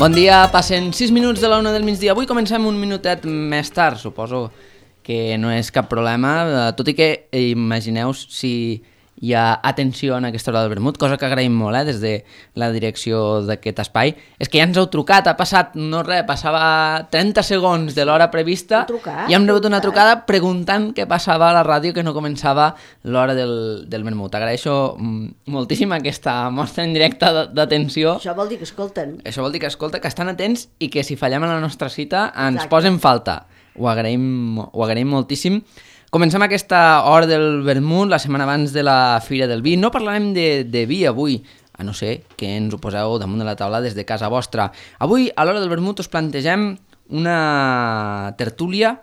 Bon dia, passen 6 minuts de la 1 del migdia. Avui comencem un minutet més tard, suposo que no és cap problema, tot i que imagineu si hi ha atenció en aquesta hora del vermut, cosa que agraïm molt des de la direcció d'aquest espai. És que ja ens heu trucat, ha passat, no res, passava 30 segons de l'hora prevista i hem rebut una trucada preguntant què passava a la ràdio, que no començava l'hora del vermut. Agraeixo moltíssim aquesta mostra en directe d'atenció. Això vol dir que escolten. Això vol dir que escolta, que estan atents i que si fallem a la nostra cita ens posen falta. Ho agraïm moltíssim. Comencem aquesta hora del vermut, la setmana abans de la Fira del Vi. No parlarem de vi avui, a no ser que ens ho poseu damunt de la taula des de casa vostra. Avui, a l'hora del vermut, us plantegem una tertúlia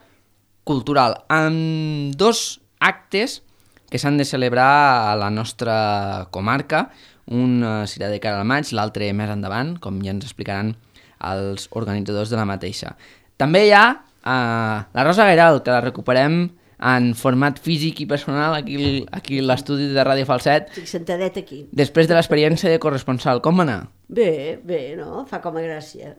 cultural amb dos actes que s'han de celebrar a la nostra comarca. Un serà de cara al maig, l'altre més endavant, com ja ens explicaran els organitzadors de la mateixa. També hi ha la Rosa Guiral, que la recuperem en format físic i personal aquí a l'estudi de Ràdio Falset. Estic sentadet aquí. Després de l'experiència de corresponsal, com va anar? Bé, no? Fa com a gràcia.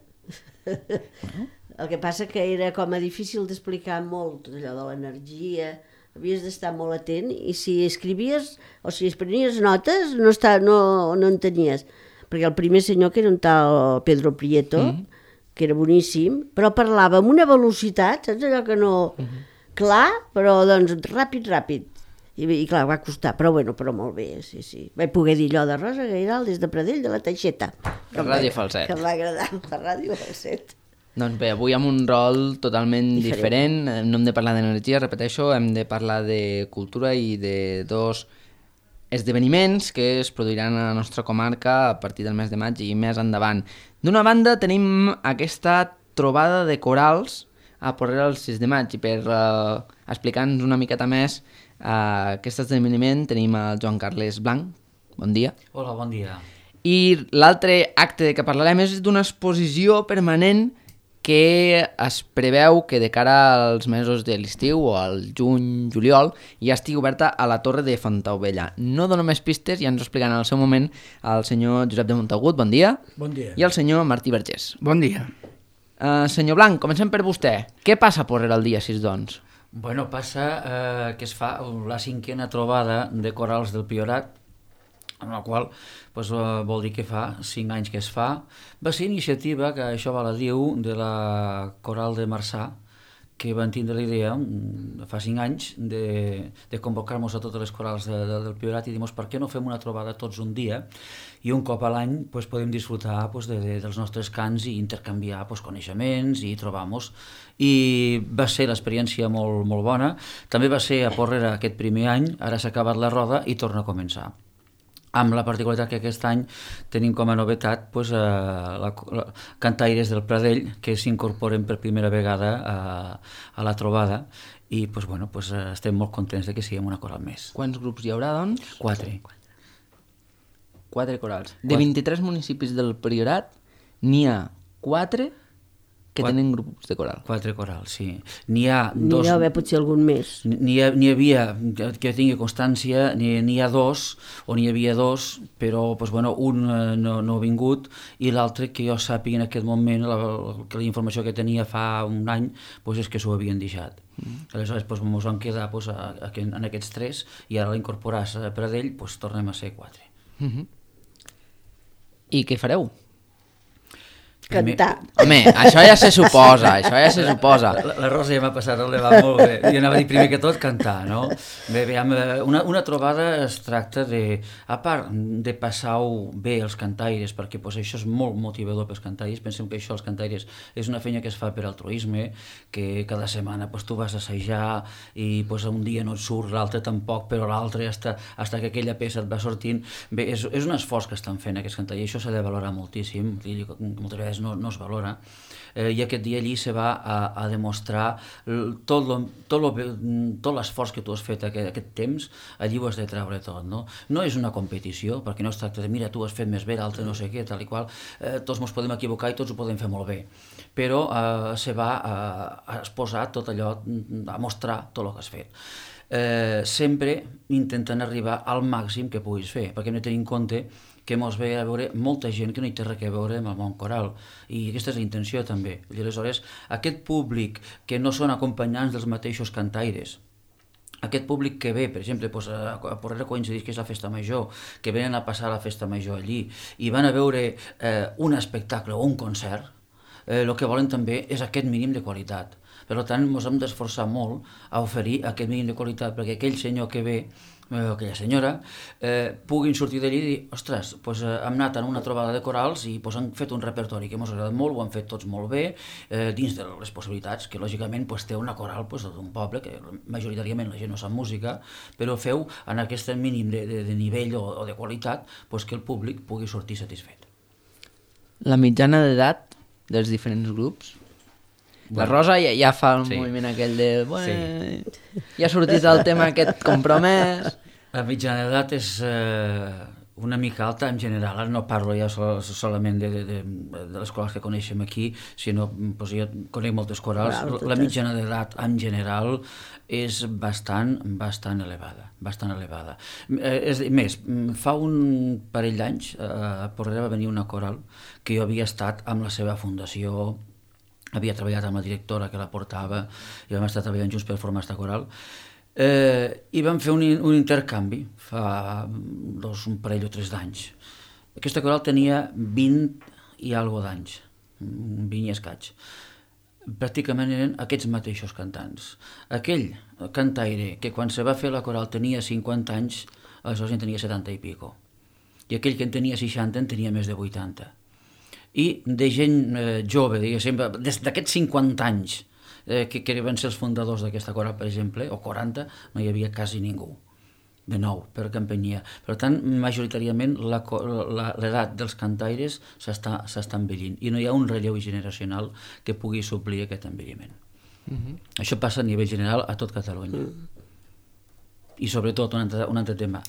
El que passa que era com a difícil d'explicar molt, tot allò de l'energia, havies d'estar molt atent i si escrivies o si prenies notes no entenies. Perquè el primer senyor, que era un tal Pedro Prieto, que era boníssim, però parlava amb una velocitat, saps allò que no... Clar, però doncs ràpid. I clar, va costar, però molt bé, sí. Vaig poder dir allò de Rosa Guiral des de Pradell de la Teixeta. Ràdio Falset. Que em va agradar, la Ràdio Falset. Doncs bé, avui amb un rol totalment diferent. No hem de parlar d'energia, repeteixo, hem de parlar de cultura i de dos esdeveniments que es produiran a la nostra comarca a partir del mes de maig i més endavant. D'una banda tenim aquesta trobada de corals a Porrera el 6 de maig i per explicar-nos una miqueta més aquest esdeveniment tenim el Joan Carles Blanc. Bon dia. Hola, bon dia. I l'altre acte de què parlarem és d'una exposició permanent que es preveu que de cara als mesos de l'estiu o al juny-juliol ja estigui oberta a la Torre de Fontaubella. No dono més pistes, ja ens ho explicaran en el seu moment el senyor Josep de Montagut, bon dia. Bon dia. I el senyor Martí Vergés. Bon dia. Senyor Blanc, comencem per vostè. Què passa a Porrera el dia 6, doncs? Bueno, passa que es fa la 5a trobada de corals del Priorat, en la qual vol dir que fa 5 anys que es fa. Va ser iniciativa, que això va la diu, de la Coral de Marçà, que van tindre la idea fa 5 anys de convocar-nos a totes les corals del Priorat i dir, per què no fem una trobada tots un dia i un cop a l'any podem disfrutar dels nostres cants i intercanviar coneixements i trobar-nos. I va ser l'experiència molt, molt bona. També va ser a Porrera aquest primer any, ara s'ha acabat la roda i torna a començar. Amb la particularitat que aquest any tenim com a novetat cantaires del Pradell que s'incorporen per primera vegada a la trobada i estem molt contents que siguem una coral més. Quants grups hi haurà, doncs? 4. 4 corals. De 23 municipis del Priorat n'hi ha 4 que tenen grups de coral. 4 corals, sí. N'hi ha dos... N'hi ha d'haver potser algun més. N'hi havia, que tingui constància, n'hi ha 2, o n'hi havia 2, però un no ha vingut, i l'altre, que jo sàpiga en aquest moment, la informació que tenia fa un any, és que s'ho havien deixat. Aleshores ens vam quedar en aquests 3, i ara l'incorporàs a Pradell, tornem a ser 4. I què fareu? Cantar. Home, això ja se suposa. La Rosa ja m'ha passat, va molt bé. Jo anava a dir primer que tot cantar, no? Bé, una trobada es tracta de, a part de passar-ho bé els cantaires, perquè això és molt motivador pels cantaires, pensem que això, els cantaires, és una feina que es fa per altruisme, que cada setmana tu vas a assajar i un dia no et surt, l'altre tampoc, però l'altre, fins que aquella peça et va sortint. Bé, és un esforç que estan fent aquests cantaires, i això s'ha de valorar moltíssim, moltes vegades no es valora, i aquest dia allí se va a demostrar tot l'esforç que tu has fet aquest temps, allí ho has de treure tot, no? No és una competició, perquè no es tracta de mira, tu has fet més bé, l'altre no sé què, tal i qual, tots ens podem equivocar i tots ho podem fer molt bé, però se va a exposar tot allò, a mostrar tot el que has fet. sempre intenten arribar al màxim que puguis fer, perquè hem de tenir en compte que mos ve a veure molta gent que no hi té res a veure amb el món coral, i aquesta és la intenció també. I aleshores, aquest públic que no són acompanyants dels mateixos cantaires, aquest públic que ve, per exemple, a Porrera coincideix que és la festa major, que venen a passar la festa major allí i van a veure un espectacle o un concert, el que volen també és aquest mínim de qualitat. Per tant, ens hem d'esforçar molt a oferir aquest mínim de qualitat perquè aquell senyor que ve, aquella senyora, puguin sortir d'allí i dir, ostres, hem anat a una trobada de corals i han fet un repertori que ens ha agradat molt, ho han fet tots molt bé, dins de les possibilitats, que lògicament té una coral d'un poble, que majoritàriament la gent no sap música, però feu en aquest mínim de nivell o de qualitat que el públic pugui sortir satisfet. La mitjana d'edat dels diferents grups? La Rosa ja fa el moviment aquell de... Ja ha sortit el tema aquest compromès... La mitjana d'edat és una mica alta en general, no parlo ja solament de les corals que coneixem aquí, sinó jo conec moltes corals, la mitjana d'edat en general és bastant elevada, bastant elevada. Més, fa un parell d'anys a Porrera va venir una coral que jo havia estat amb la seva fundació, havia treballat amb la directora que la portava i vam estar treballant junts per formar aquesta coral, i vam fer un intercanvi fa un parell o 3 d'anys. Aquesta coral tenia 20 i alguna d'anys, 20 i escaig. Pràcticament eren aquests mateixos cantants. Aquell cantaire que quan se va fer la coral tenia 50 anys, aleshores en tenia 70 i pico. I aquell que en tenia 60 en tenia més de 80. I de gent jove, diguéssim, d'aquests 50 anys que van ser els fundadors d'aquesta coral, per exemple, o 40, no hi havia quasi ningú de nou per campanyia. Per tant, majoritàriament l'edat dels cantaires s'està envellint i no hi ha un relleu generacional que pugui suplir aquest envelliment. Això passa a nivell general a tot Catalunya. I sobretot, un altre tema,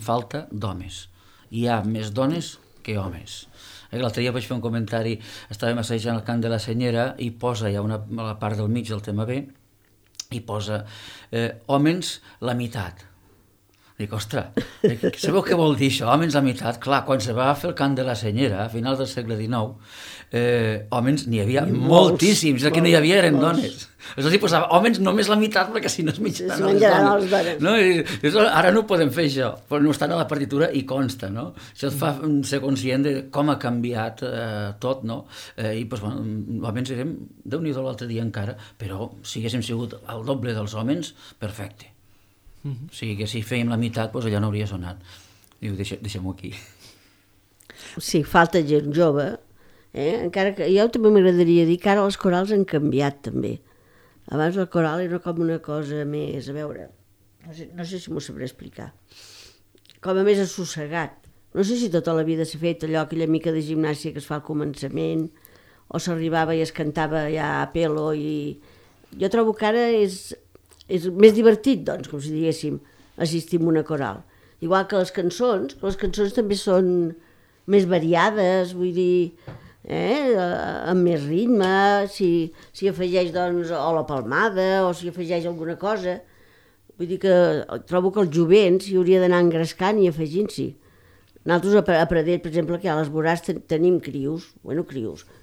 falta d'homes. Hi ha més dones que homes. L'altre dia vaig fer un comentari, estàvem assajant el cant de la Senyera i posa ja a la part del mig del tema B i posa homes la meitat. Dic, ostres, sabeu què vol dir això? Homes la meitat? Clar, quan se va fer el cant de la Senyera, a finals del segle XIX, homes n'hi havia moltíssims, el que no hi havia eren dones. Aleshores hi posava homes només la meitat perquè si no es menjaran les dones. No? Ara no ho podem fer això, però no estan a la partitura i consta, no? Això et fa ser conscient de com ha canviat tot, no? I homes érem, Déu-n'hi-do l'altre dia encara, però si haguéssim sigut el doble dels homes, perfecte. O sigui que si fèiem la meitat, allà no hauria sonat. Diu, deixem-ho aquí. Sí, falta gent jove, encara que jo també m'agradaria dir que ara les corals han canviat també. Abans la coral era com una cosa més, a veure, no sé si m'ho sabré explicar, com a més assossegat. No sé si tota la vida s'ha fet allò, aquella mica de gimnàsia que es fa al començament, o s'arribava i es cantava ja a pelo, i jo trobo que ara és més divertit, doncs, com si diguéssim, assistir a una coral. Igual que les cançons també són més variades, vull dir, amb més ritme, si afegeix, doncs, o la palmada, o si afegeix alguna cosa. Vull dir que trobo que el jovent s'hi hauria d'anar engrescant i afegint-s'hi. Nosaltres a Pradell, per exemple, que a les vorars tenim crios,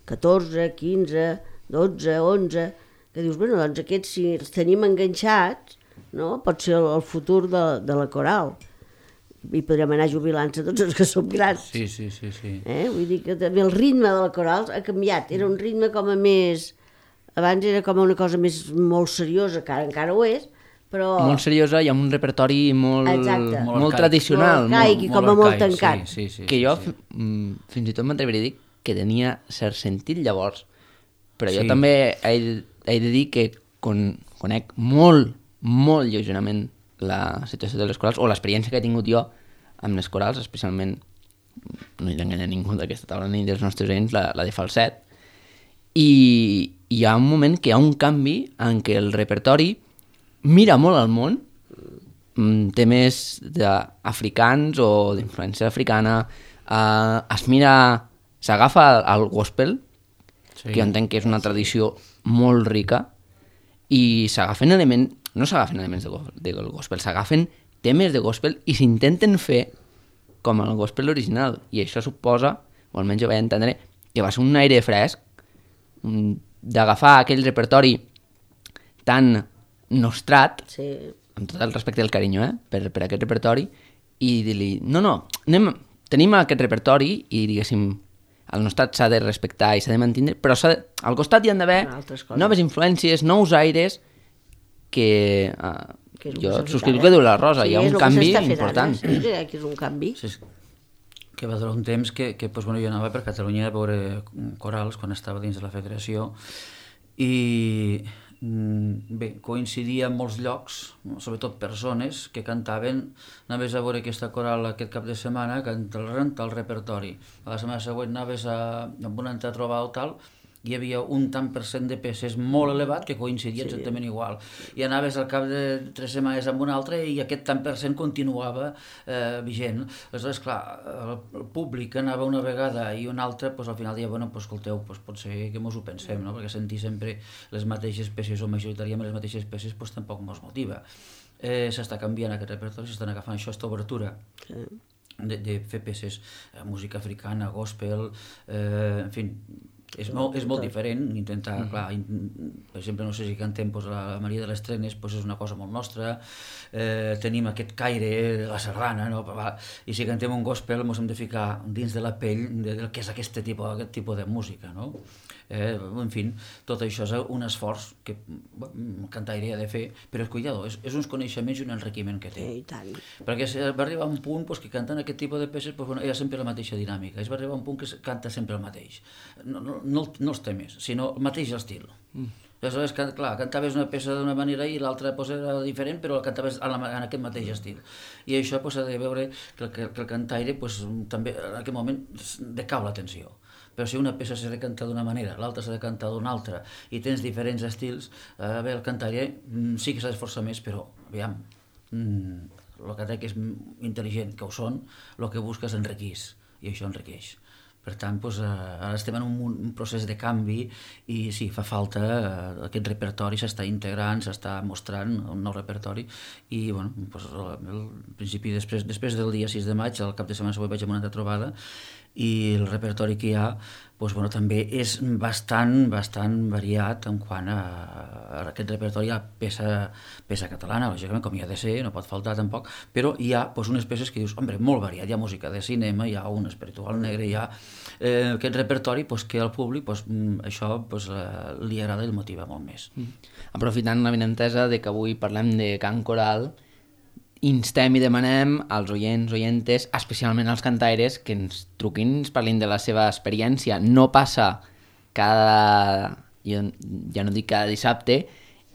14, 15, 12, 11... que dius, doncs aquests, si els tenim enganxats, no? Pot ser el futur de la coral. I podrem anar jubilant-se tots els que som grans. Sí. Vull dir que també el ritme de la coral ha canviat. Era un ritme com a més... Abans era com una cosa molt seriosa, que encara ho és, però... Molt seriosa i amb un repertori molt tradicional. Molt arcaic i com a molt tancat. Sí. Que jo fins i tot m'atreviria a dir que tenia cert sentit llavors. Però jo també he de dir que conec molt lleugerament la situació de les corals, o l'experiència que he tingut jo amb les corals, especialment, no hi enganya ningú d'aquesta taula ni dels nostres oients, la de falset, i hi ha un moment que hi ha un canvi en què el repertori mira molt al món, temes africans o d'influència africana, s'agafa al gospel, que jo entenc que és una tradició molt rica, i s'agafen elements, no s'agafen elements del gospel, s'agafen temes de gospel i s'intenten fer com el gospel original. I això suposa, o almenys jo vaig entendre, que va ser un aire fresc d'agafar aquell repertori tan nostrat, Sí. amb tot el respecte i el carinyo, per aquest repertori, i dir-li, tenim aquest repertori i, diguéssim, el nostrat s'ha de respectar i s'ha de mantenir, però al costat hi han d'haver noves influències, nous aires, que jo subscriu que diu la Rosa, hi ha un canvi important. Sí, que és un canvi. Sí, que va durar un temps que jo anava per Catalunya a veure corals quan estava dins de la federació i bé, coincidia en molts llocs, sobretot persones que cantaven, anaves a veure aquesta coral aquest cap de setmana, cantaven el repertori. A la setmana següent anaves amb una altra trobada o tal, hi havia un tant per cent de peces molt elevat que coincidia exactament igual. I anaves al cap de 3 setmanes amb un altre i aquest tant per cent continuava vigent. Aleshores, clar, el públic anava una vegada i una altra, al final deia, bueno, escolteu, potser que mos ho pensem, no? Perquè sentir sempre les mateixes peces o majoritàriament les mateixes peces tampoc mos motiva. S'està canviant aquest repertori, s'estan agafant aquesta obertura de fer peces, música africana, gospel, en fi, és molt diferent, intentar, clar, per exemple, no sé si cantem la Maria de les Trenes, és una cosa molt nostra, tenim aquest caire, la sardana, no? I si cantem un gospel ens hem de ficar dins de la pell del que és aquest tipus de música, no? En fi, tot això és un esforç que el cantaire ha de fer, però cuidado, és uns coneixements i un enriquiment que té. I tant. Perquè va arribar un punt que cantant aquest tipus de peces hi ha sempre la mateixa dinàmica, va arribar un punt que canta sempre el mateix, no els temes, sinó el mateix estil. Aleshores, clar, cantaves una peça d'una manera i l'altra era diferent, però la cantaves en aquest mateix estil. I això s'ha de veure que el cantaire també en aquest moment decau l'atenció. Però si una peça s'ha de cantar d'una manera, l'altra s'ha de cantar d'una altra, i tens diferents estils, el cantaire sí que s'ha d'esforçar més, però, aviam, el que és intel·ligent, que ho són, el que busca és enriquir, i això enriqueix. Per tant, ara estem en un procés de canvi i sí, fa falta aquest repertori, s'està integrant, s'està mostrant un nou repertori i, bueno, al principi, després del dia 6 de maig, al cap de setmana següent vaig a una altra trobada i el repertori que hi ha també és bastant variat en quant a aquest repertori. Hi ha peça catalana, lògicament, com hi ha de ser, no pot faltar tampoc, però hi ha unes peces que dius, home, molt variat, hi ha música de cinema, hi ha un espiritual negre, hi ha aquest repertori que al públic això li agrada i el motiva molt més. Aprofitant la benentesa de que avui parlem de cant coral, instem i demanem als oyentes, especialment als cantaires, que ens truquin, ens parlin de la seva experiència. No passa jo ja no dic cada dissabte,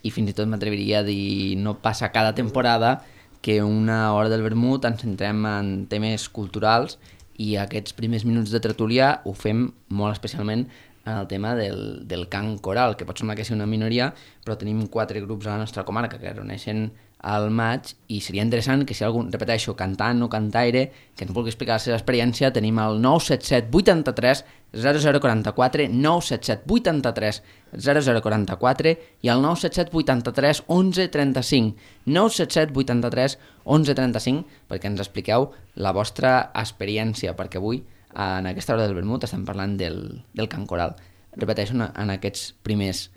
i fins i tot m'atreviria a dir no passa cada temporada que una hora del vermut ens centrem en temes culturals i aquests primers minuts de tertúlia ho fem molt especialment en el tema del cant coral, que pot semblar que sigui una minoria, però tenim 4 grups a la nostra comarca que es reuneixen al maig i seria interessant que si algú, repeteixo, cantant o cantaire, que ens vulgui explicar la seva experiència, tenim el 977 83 0044, 977 83 0044 i el 977 83 11 35, 977 83 11 35, perquè ens expliqueu la vostra experiència, perquè avui en aquesta hora del vermut estem parlant del cant coral. Repeteixo, en aquests primers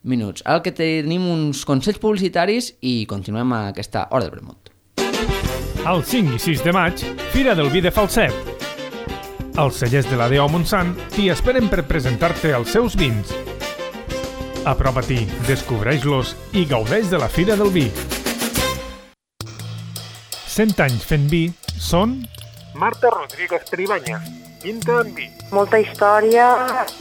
minuts. Ara que tenim uns consells publicitaris i continuem a aquesta hora del vermut. El 5 i 6 de maig, Fira del Vi de Falset. Els cellers de la D.O. Montsant t'hi esperen per presentar-te els seus vins. Apropa-t'hi, descobreix-los i gaudeix de la Fira del Vi. 100 anys fent vi són... Marta Rodríguez Peribanya, Pinta en Vi. Molta història,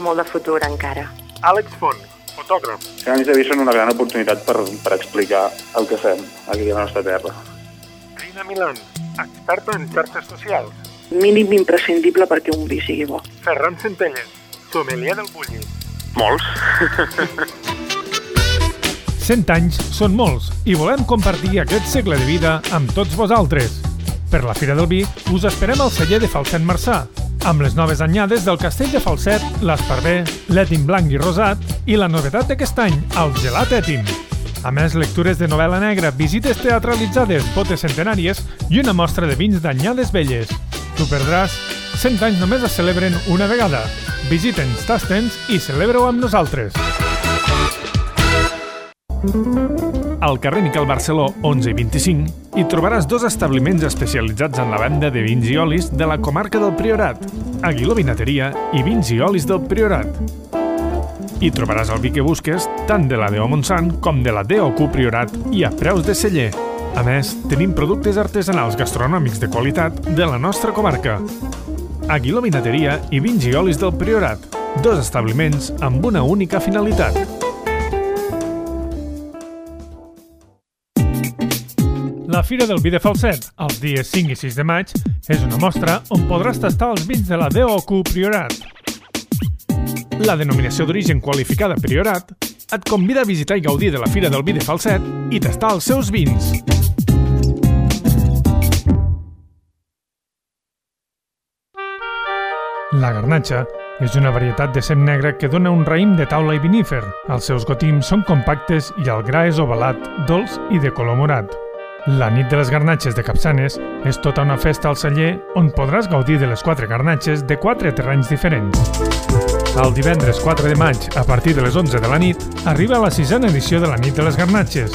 molt de futur encara. Àlex Font, fotògraf. Els anys de vi són una gran oportunitat per explicar el que fem aquí a la nostra terra. Rina Milan, experta en xarxes socials. Mínim imprescindible perquè un vi sigui bo. Ferran Centelles, sommelier del Bulli. Molts. 100 anys són molts i volem compartir aquest segle de vida amb tots vosaltres. Per la Fira del Vi us esperem al celler de Falset Marçà, amb les noves anyades del Castell de Falset, l'Esparver, l'Ètim blanc i rosat i la novetat d'aquest any, el gelat Ètim. A més, lectures de novel·la negra, visites teatralitzades, botes centenàries i una mostra de vins d'anyades velles. T'ho perdràs? 100 anys només es celebren una vegada. Visita'ns, tasta'ns i celebra-ho amb nosaltres. Al carrer Miquel Barceló, 11 i 25, hi trobaràs 2 establiments especialitzats en la venda de vins i olis de la comarca del Priorat, Aguiló Vinateria i Vins i Olis del Priorat. Hi trobaràs el vi que busques, tant de la D.O. Montsant com de la D.O.Q. Priorat i a preus de celler. A més, tenim productes artesanals gastronòmics de qualitat de la nostra comarca. Aguiló Vinateria i Vins i Olis del Priorat, 2 establiments amb una única finalitat. La Fira del Vi de Falset, els dies 5 i 6 de maig, és una mostra on podràs tastar els vins de la D.O.Q. Priorat. La denominació d'origen qualificada Priorat et convida a visitar i gaudir de la Fira del Vi de Falset i tastar els seus vins. La garnatxa és una varietat de sem negre que dona un raïm de taula i vinífer. Els seus gotims són compactes i el gra és ovalat, dolç i de color morat. La nit de les garnatxes de Capçanes és tota una festa al celler on podràs gaudir de les 4 garnatxes de 4 terrenys diferents. El divendres 4 de maig, a partir de les 11 de la nit, arriba la 6a edició de la nit de les garnatxes,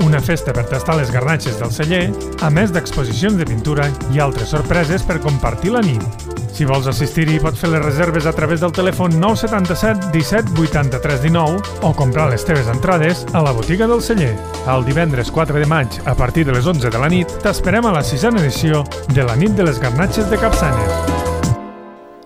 una festa per tastar les garnatxes del celler, a més d'exposicions de pintura i altres sorpreses per compartir la nit. Si vols assistir-hi, pots fer les reserves a través del telèfon 977 17 83 19 o comprar les teves entrades a la botiga del celler. El divendres 4 de maig, a partir de les 11 de la nit, t'esperem a la 6a edició de la nit de les garnatxes de Capçanes.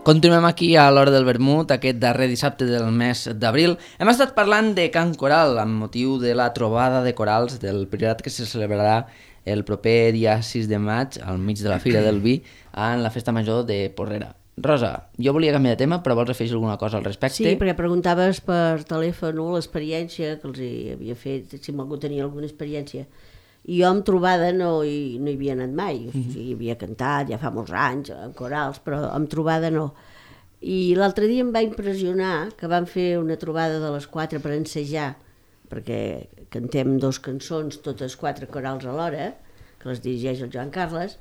Continuem aquí a l'Hora del Vermut, aquest darrer dissabte del mes d'abril. Hem estat parlant de Can Coral, amb motiu de la trobada de corals del Priorat que se celebrarà el proper dia 6 de maig, al mig de la Fira del Vi, en la Festa Major de Porrera. Rosa, jo volia canviar de tema, però vols afegir alguna cosa al respecte? Sí, perquè preguntaves per telèfon l'experiència que els havia fet, si algú tenia alguna experiència. I jo amb trobada no hi havia anat mai, o sigui, hi havia cantat ja fa molts anys, en corals, però amb trobada no. I l'altre dia em va impressionar que van fer una trobada de les 4 per ensejar, perquè cantem 2 cançons, totes 4 corals alhora, que les dirigeix el Joan Carles,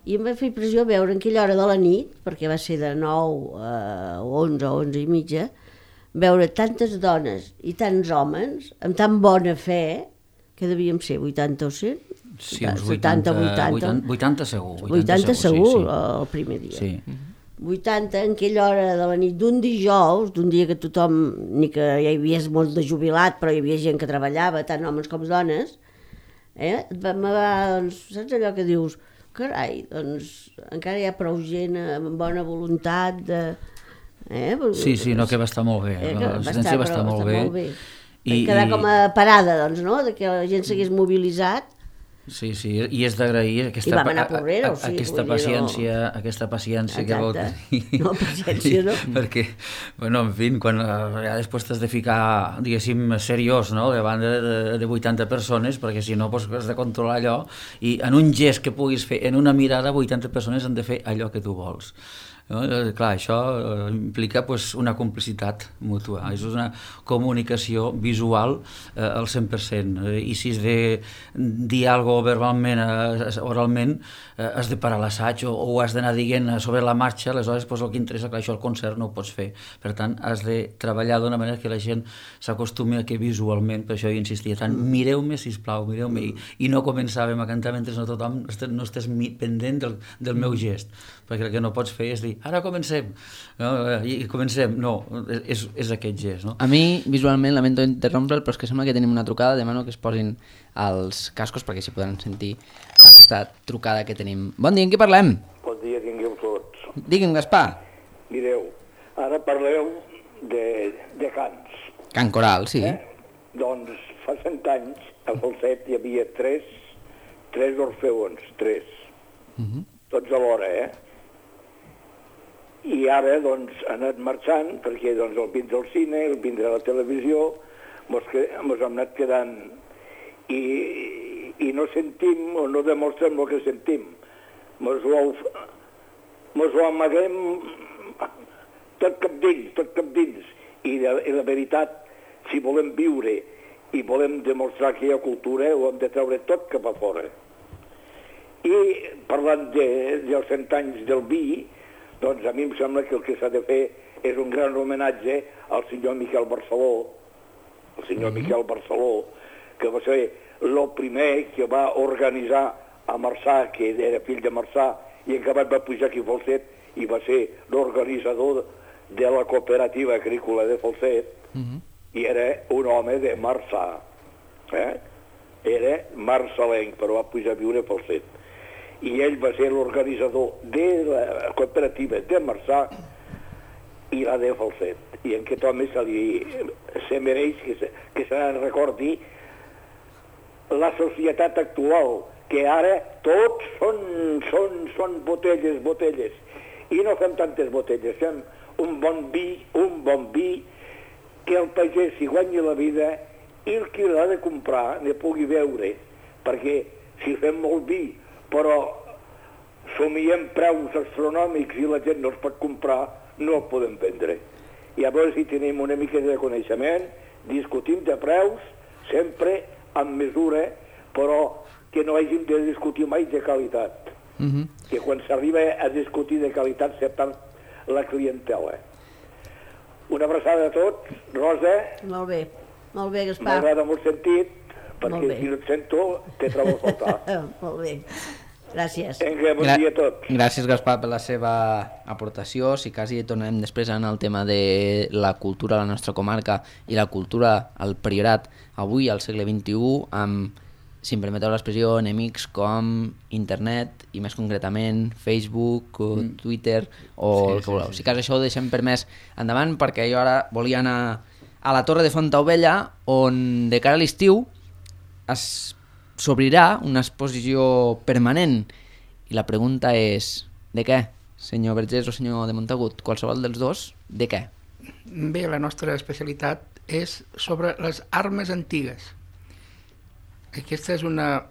i em va fer impressió veure en aquella hora de la nit, perquè va ser de 9 a 11 o 11 i mitja, veure tantes dones i tants homes amb tan bona fe, que devíem ser 80 o 100? Sí, uns 80 segur. 80 segur, sí. El primer dia. Sí. 80 en aquella hora de la nit d'un dijous, d'un dia que tothom, ni que hi havia molt de jubilat, però hi havia gent que treballava, tant homes com dones, doncs, saps allò que dius, carai, doncs encara hi ha prou gent amb bona voluntat de... Sí, no, que va estar molt bé, l'assistència va estar molt bé. I quedar com a parada, doncs, no?, de que la gent s'hagués mobilitzat. Sí, i és d'agrair aquesta paciència que vau tenir. No, paciència no. Perquè, bueno, en fi, quan ja després t'has de ficar, diguéssim, seriós, no?, davant de 80 persones, perquè si no has de controlar allò, i en un gest que puguis fer, en una mirada, 80 persones han de fer allò que tu vols. No? Clar, això implica una complicitat mútua, és una comunicació visual al 100%, i si has de dir alguna cosa verbalment, oralment, has de parar l'assaig o ho has d'anar dient sobre la marxa, aleshores el que interessa, clar, això al concert no ho pots fer, per tant has de treballar d'una manera que la gent s'acostumi a que visualment, per això jo insistia tant, mireu-me sisplau, mireu-me, i no començàvem a cantar mentre tothom no estàs pendent del meu gest, perquè el que no pots fer és dir, ara comencem, no? I comencem, no, és aquest gest, no? A mi, visualment, lamento interrompre'l, però és que sembla que tenim una trucada, demano que es posin els cascos perquè s'hi podran sentir aquesta trucada que tenim. Bon dia, en què parlem? Bon dia, tingueu tots. Digue'm, Gaspar. Mireu, ara parleu de cants. Can Coral, sí. Doncs fa 100 anys, a Falset hi havia tres orfeons, tots alhora, I ara, doncs, ha anat marxant, perquè doncs, el vindrà al cine, el vindrà a la televisió, mos hem anat quedant i no sentim o no demostrem el que sentim. Mos ho amaguem tot cap dins. I la veritat, si volem viure i volem demostrar que hi ha cultura, ho hem de treure tot cap a fora. I parlant dels 100 anys del vi, doncs a mi em sembla que el que s'ha de fer és un gran homenatge al senyor Miquel Barceló, que va ser el primer que va organitzar a Marçà, que era fill de Marçà, i en acabat va pujar aquí a Falset i va ser l'organitzador de la cooperativa agrícola de Falset, i era un home de Marçà. Era marçalenc, però va pujar a viure a Falset. I ell va ser l'organitzador de la cooperativa de Marçà i la de Falset. I en aquest home se mereix que se recordi la societat actual, que ara tots són botelles, i no fem tantes botelles, fem un bon vi, que el pagès s'hi guanyi la vida i el qui l'ha de comprar ne pugui veure, perquè si fem molt vi però somiem preus astronòmics i la gent no els pot comprar, no el podem vendre. Llavors, si tenim una mica de coneixement, discutim de preus, sempre amb mesura, però que no hàgim de discutir mai de qualitat. Que quan s'arriba a discutir de qualitat se perd la clientela. Una abraçada a tots. Rosa. Molt bé, Gaspar. M'agrada molt sentit, perquè si no et sento, te trobo a faltar. Molt bé. Gràcies. Vinga, bon dia a tots. Gràcies, Gaspar, per la seva aportació. Si quasi tornem després en el tema de la cultura a la nostra comarca i la cultura al Priorat avui, al segle XXI, amb, si em permeteu l'expressió, enemics com internet i més concretament Facebook, Twitter o el que voleu. Si cas això ho deixem per més endavant, perquè jo ara volia anar a la Torre de Fontaubella, on de cara a l'estiu s'obrirà una exposició permanent. I la pregunta és, de què? Senyor Vergés o senyor de Montagut, qualsevol dels dos, de què? Bé, la nostra especialitat és sobre les armes antigues. Aquesta és una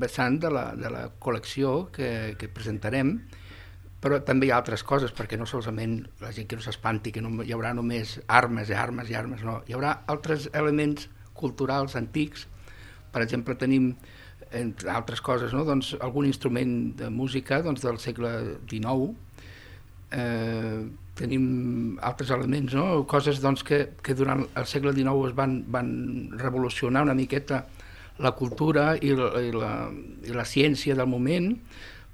vessant de la col·lecció que presentarem, però també hi ha altres coses, perquè no solament la gent que no s'espanti, que no hi haurà només armes, no. Hi haurà altres elements culturals antics. Per exemple, tenim, entre altres coses, no? Doncs, algun instrument de música del segle XIX, tenim altres elements, no? Coses que durant el segle XIX es van revolucionar una miqueta la cultura i la ciència del moment.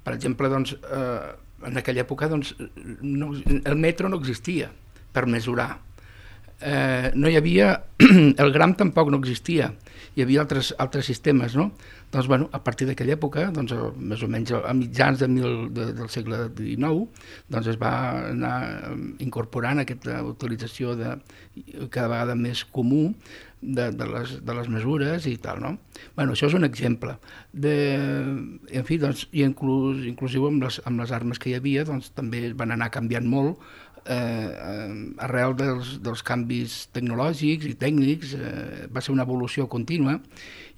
Per exemple, en aquella època el metro no existia per mesurar. No hi havia... El gram tampoc no existia. Hi havia altres sistemes, no? Doncs, bueno, a partir d'aquella època, més o menys a mitjans del segle XIX, es va anar incorporant aquesta utilització cada vegada més comú de les mesures i tal, no? Bueno, això és un exemple. En fi, i inclusiu amb les armes que hi havia, també van anar canviant molt arrel dels canvis tecnològics i tècnics. Va ser una evolució contínua.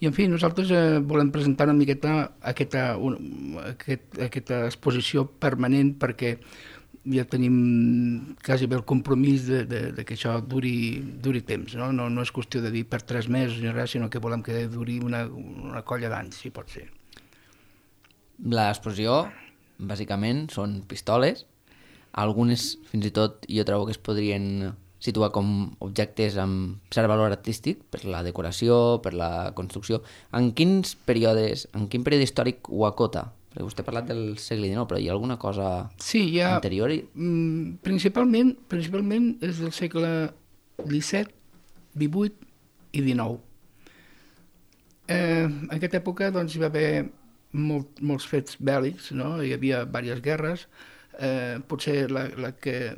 I, en fi, nosaltres volem presentar una miqueta aquesta exposició permanent, perquè ja tenim quasi bé el compromís de que això duri temps. No és qüestió de dir per 3 mesos ni res, sinó que volem que duri una colla d'anys, si pot ser. L'exposició, bàsicament, són pistoles. Algunes, fins i tot, jo trobo que es podrien situar com objectes amb cert valor artístic per la decoració, per la construcció. En quin període històric ho acota? Perquè vostè ha parlat del segle XIX, però hi ha alguna cosa anterior? Principalment és del segle XVII, XVIII i XIX. En aquesta època hi va haver molts fets bèl·lics, no? Hi havia diverses guerres. Potser la que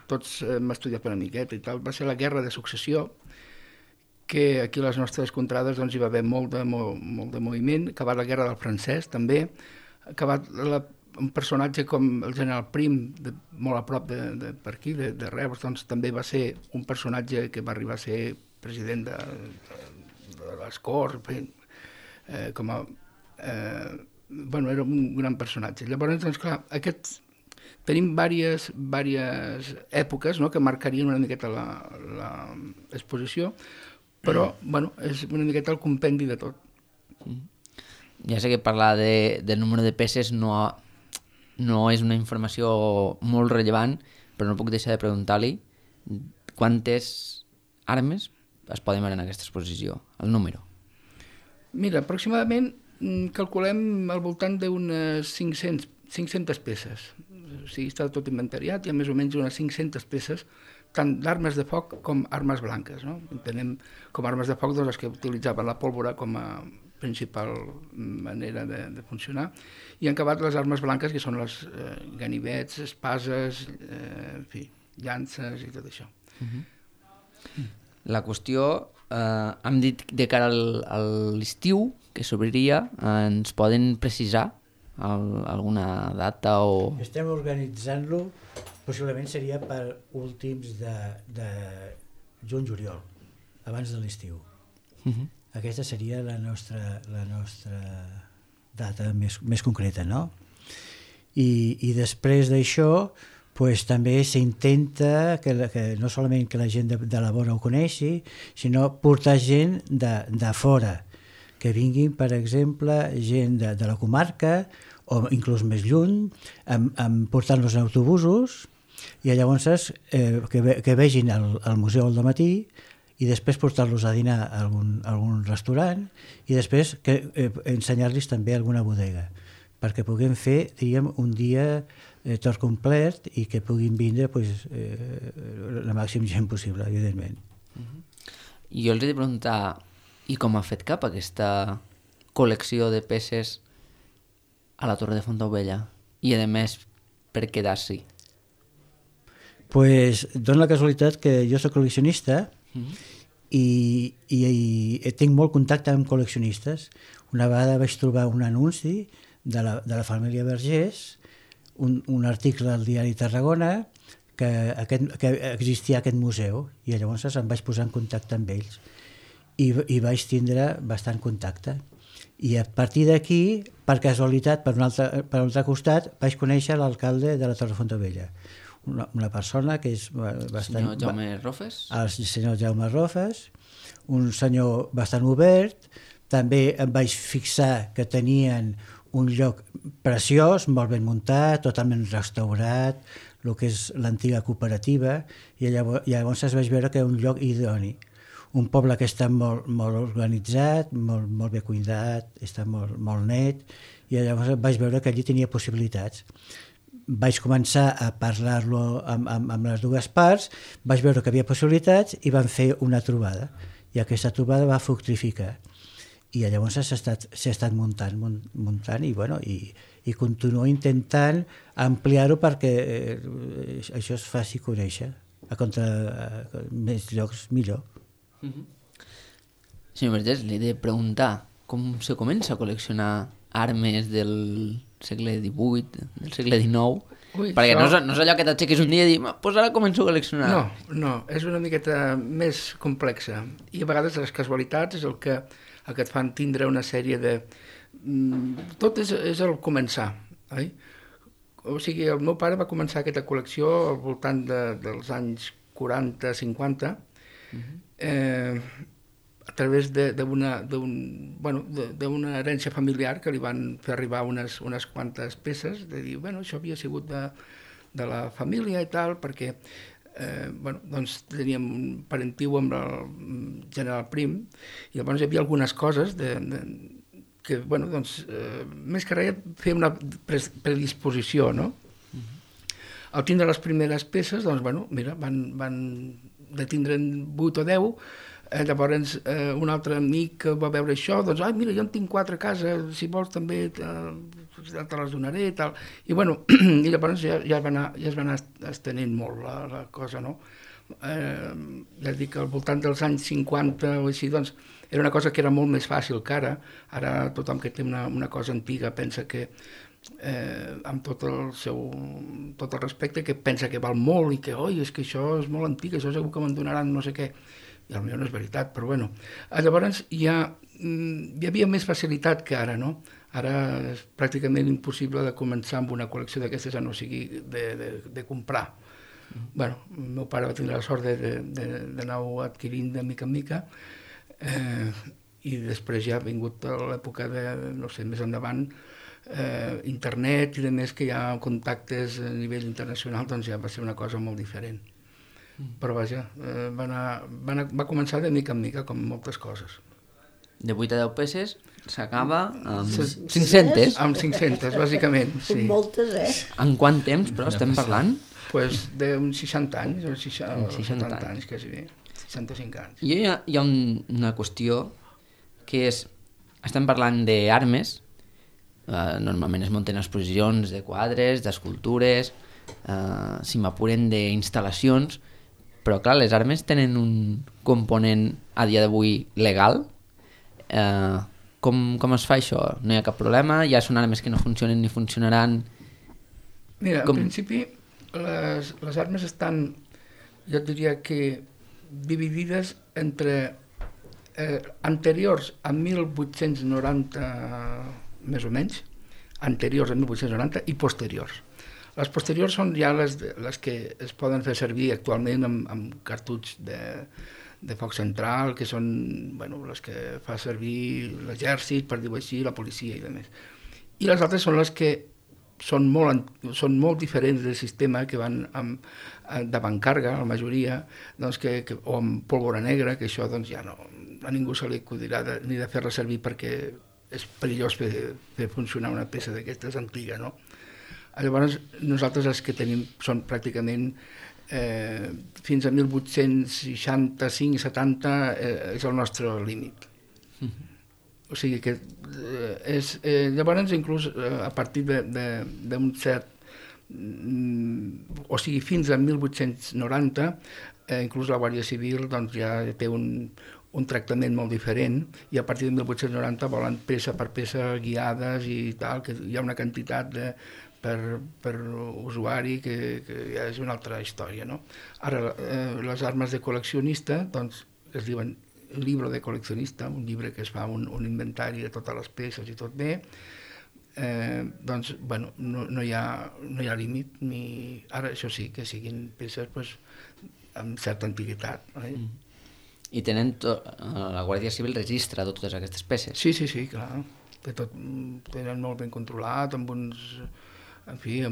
tots hem estudiat una miqueta i tal va ser la Guerra de Successió, que aquí a les nostres contrades hi va haver molt de moviment. Acabat la Guerra del Francès també, acabat un personatge com el general Prim, molt a prop per aquí, de Reus, també va ser un personatge que va arribar a ser president de les Corts, era un gran personatge. Llavors, clar, tenim diverses èpoques que marcarien una miqueta l'exposició, però és una miqueta el compendi de tot. Ja sé que parlar del número de peces no és una informació molt rellevant, però no puc deixar de preguntar-li quantes armes es poden veure en aquesta exposició, el número. Mira, aproximadament calculem al voltant d'unes 500 peces. O sigui, està tot inventariat, hi ha més o menys unes 500 peces, tant d'armes de foc com armes blanques, no? Entenem com armes de foc les que utilitzaven la pólvora com a principal manera de funcionar, i han acabat les armes blanques, que són les ganivets, espases, en fi, llances i tot això. La qüestió, hem dit de cara a l'estiu, que s'obriria, ens poden precisar alguna data o... Estem organitzant-lo, possiblement seria per últims de juny-juliol, abans de l'estiu. Aquesta seria la nostra data més concreta, no? I després d'això, pues, també s'intenta que no solament que la gent de la vora ho coneixi, sinó portar gent de fora, que vinguin, per exemple, gent de la comarca, o inclús més lluny, portant-los en autobusos, i llavors que vegin el museu al dematí, i després portar-los a dinar a algun restaurant, i després ensenyar-los també alguna bodega, perquè puguem fer, diríem, un dia tot complet i que puguin vindre la màxima gent possible, evidentment. I jo els he de preguntar, i com ha fet cap aquesta col·lecció de peces a la Torre de Fontaubella? I, a més, per quedar-s'hi? Pues dona la casualitat que jo soc col·leccionista i tinc molt contacte amb col·leccionistes. Una vegada vaig trobar un anunci de la família Vergés, un article al diari Tarragona que existia aquest museu, i llavors em vaig posar en contacte amb ells i vaig tindre bastant contacte. I a partir d'aquí, per casualitat, per un altre costat, vaig conèixer l'alcalde de la Torre de Fontaubella, una persona que és bastant... Senyor Jaume Rofes? El senyor Jaume Rofes, un senyor bastant obert. També em vaig fixar que tenien un lloc preciós, molt ben muntat, totalment restaurat, el que és l'antiga cooperativa, i llavors vaig veure que era un lloc idoni. Un poble que està molt organitzat, molt ben cuidat, està molt net, i llavors vaig veure que allí tenia possibilitats. Vaig començar a parlar-lo amb les dues parts, vaig veure que havia possibilitats i vam fer una trobada, i aquesta trobada va fructificar. I llavors s'ha estat muntant i continuo intentant ampliar-ho perquè això es faci conèixer. A més llocs, millor. Senyor Vergés, li he de preguntar com se comença a col·leccionar armes del segle XVIII, del segle XIX, perquè no és allò que t'aixequis un dia i dir, pues ara començo a col·leccionar. No, és una miqueta més complexa, i a vegades les casualitats és el que et fan tindre una sèrie de... Tot és el començar, oi? O sigui, el meu pare va començar aquesta col·lecció al voltant dels anys 40-50, a través d'una herència familiar que li van fer arribar unes quantes peces, de dir, això havia sigut de la família i tal, perquè teníem un parentiu amb el general Prim, i llavors hi havia algunes coses que, més que res, fer una predisposició, no? Al tindre les primeres peces, van de tindre'n 8 o 10, llavors un altre amic va veure això, mira, jo en tinc 4 a casa, si vols també te les donaré i tal. I llavors ja es va anar estenent molt la cosa, no? Ja et dic que al voltant dels anys 50 o així, era una cosa que era molt més fàcil que ara. Ara tothom que té una cosa antiga pensa que, amb tot el respecte, que pensa que val molt i que, és que això és molt antic, això segur que me'n donaran no sé què. I potser no és veritat, però llavors hi havia més facilitat que ara, no? Ara és pràcticament impossible de començar amb una col·lecció d'aquestes, a no sigui de comprar. El meu pare va tindre la sort d'anar-ho adquirint de mica en mica, I després ja ha vingut l'època de, no sé, més endavant, internet i de més que hi ha contactes a nivell internacional, doncs ja va ser una cosa molt diferent. Però vaja, va començar de mica en mica, com moltes coses. De 8 a 10 peces s'acaba amb 500. Amb 500, bàsicament, sí. Moltes, En quant temps, però, estem parlant? Pues d'uns 60 anys, o 70 anys, quasi bé. 65 anys. I hi ha una qüestió que és, estem parlant d'armes, normalment es munten exposicions de quadres, d'escultures, si m'apuren d'instal·lacions, però clar, les armes tenen un component a dia d'avui legal. Com es fa això? No hi ha cap problema? Ja són armes que no funcionen ni funcionaran? Mira, en principi les armes estan, jo diria que dividides entre anteriors a 1890 més o menys, anteriors a 1890 i posteriors. Les posteriors són ja les que es poden fer servir actualment amb cartutx de foc central, que són les que fa servir l'exèrcit, per dir-ho així, la policia i demés. I les altres són les que són molt diferents del sistema, que van d'avantcàrrega, la majoria, o amb pólvora negra, que això ja no, a ningú se li acudirà ni de fer-la servir perquè és perillós fer funcionar una peça d'aquestes antiga, no? Llavors, nosaltres els que tenim són pràcticament fins a 1865 i 70 és el nostre límit. O sigui que llavors inclús a partir d'un cert, o sigui fins a 1890, inclús la Guàrdia Civil ja té un tractament molt diferent, i a partir de 1890 volen peça per peça guiades i tal, que hi ha una quantitat per usuari que ja és una altra història, no? Ara, les armes de col·leccionista, es diuen llibre de col·leccionista, un llibre que es fa un inventari de totes les peces i tot bé, no hi ha límit, ara això sí, que siguin peces amb certa antiguitat. I la Guàrdia Civil registra totes aquestes peces? Sí, clar. Tenen molt ben controlat, amb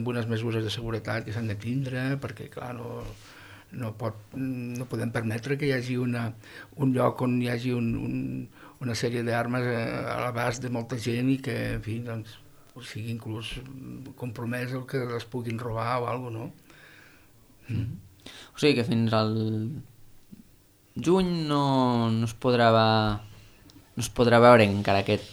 unes mesures de seguretat que s'han de tindre, perquè, clar, no podem permetre que hi hagi un lloc on hi hagi una sèrie d'armes a l'abast de molta gent i que, en fi, sigui inclús compromès el que les puguin robar o alguna cosa, no? O sigui que fins al juny no es podrà veure encara aquest...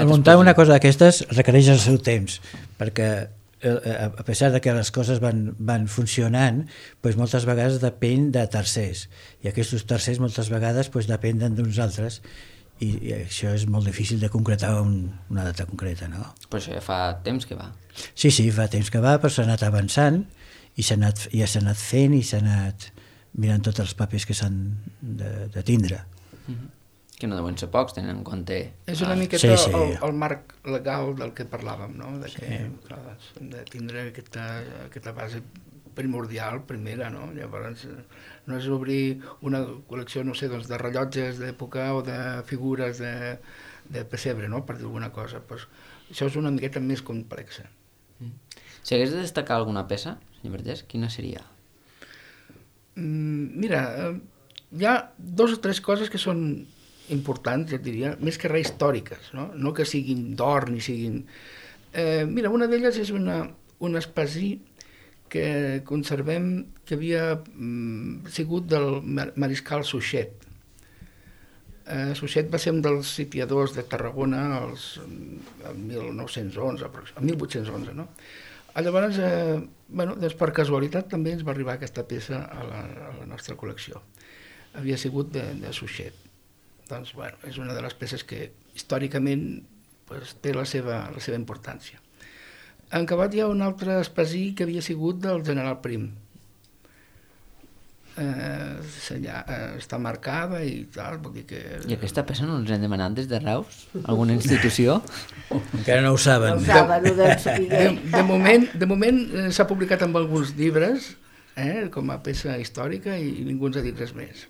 Muntar una cosa d'aquestes requereix el seu temps, perquè a pesar de que les coses van funcionant, moltes vegades depèn de tercers, i aquests tercers moltes vegades depenen d'uns altres, i això és molt difícil de concretar una data concreta, no? Però això ja fa temps que va. Sí, fa temps que va, però s'ha anat avançant, i s'ha anat fent, i s'ha anat mirant tots els papers que s'han de tindre. Que no deuen ser pocs, tenen en compte... És una miqueta el marc legal del que parlàvem, no? Que hem de tindre aquesta base primordial, primera, no? Llavors, no és obrir una col·lecció, no sé, de rellotges d'època o de figures de pessebre, no? Per dir alguna cosa. Això és una miqueta més complexa. Si hagués de destacar alguna peça, senyor Vergés, quina seria? Mira, hi ha 2 o 3 coses que són importants, jo diria, més que res històriques, no que siguin d'or ni siguin... Mira, una d'elles és un espasí que conservem, que havia sigut del mariscal Suchet. Suchet va ser un dels sitiadors de Tarragona el 1911, el 1811, no? Llavors, per casualitat també ens va arribar aquesta peça a la nostra col·lecció. Havia sigut de Suchet. Doncs, és una de les peces que històricament té la seva importància. En acabat hi ha un altre espasí que havia sigut del general Prim. Està marcada i tal, vol dir que... I aquesta peça no ens hem demanat des de Reus? Alguna institució? Encara no ho saben. De moment s'ha publicat en alguns llibres com a peça històrica i ningú ens ha dit res més.